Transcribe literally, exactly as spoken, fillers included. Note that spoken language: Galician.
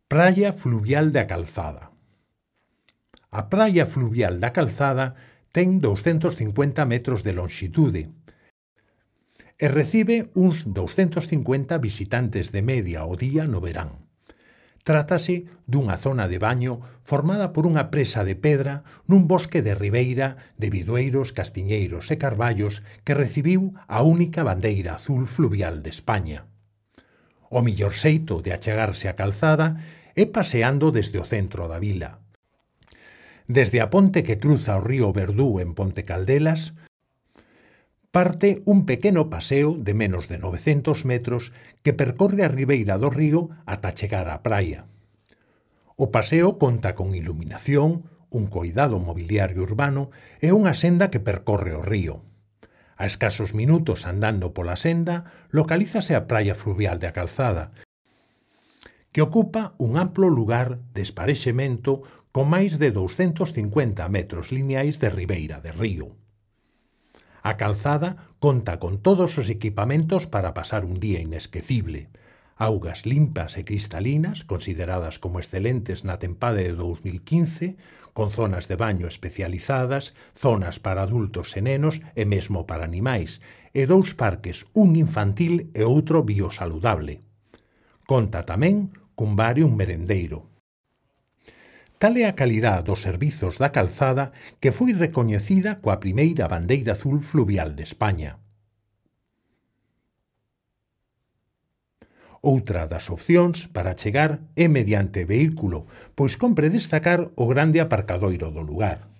Praia fluvial da Calzada. A praia fluvial da Calzada ten douscentos cincuenta metros de lonxitude e recibe uns douscentos cincuenta visitantes de media ao día no verán. Trátase dunha zona de baño formada por unha presa de pedra nun bosque de ribeira de bidueiros, castiñeiros e carballos que recibiu a única bandeira azul fluvial de España. O millor xeito de achegarse á Calzada é paseando desde o centro da vila. Desde a ponte que cruza o río Verdú en Ponte Caldelas, parte un pequeno paseo de menos de novecentos metros que percorre a ribeira do río ata chegar á praia. O paseo conta con iluminación, un coidado mobiliario urbano e unha senda que percorre o río. A escasos minutos andando pola senda, localízase a praia fluvial da Calzada, que ocupa un amplo lugar de esparexemento con máis de douscentos cincuenta metros lineais de ribeira de río. A Calzada conta con todos os equipamentos para pasar un día inesquecible. Augas limpas e cristalinas, consideradas como excelentes na tempada de dous mil quince, con zonas de baño especializadas, zonas para adultos e nenos e mesmo para animais, e dous parques, un infantil e outro biosaludable. Conta tamén cun bar e un merendeiro. Tal é a calidad dos servizos da Calzada que foi recoñecida coa primeira bandeira azul fluvial de España. Outra das opcións para chegar é mediante vehículo, pois compre destacar o grande aparcadoiro do lugar.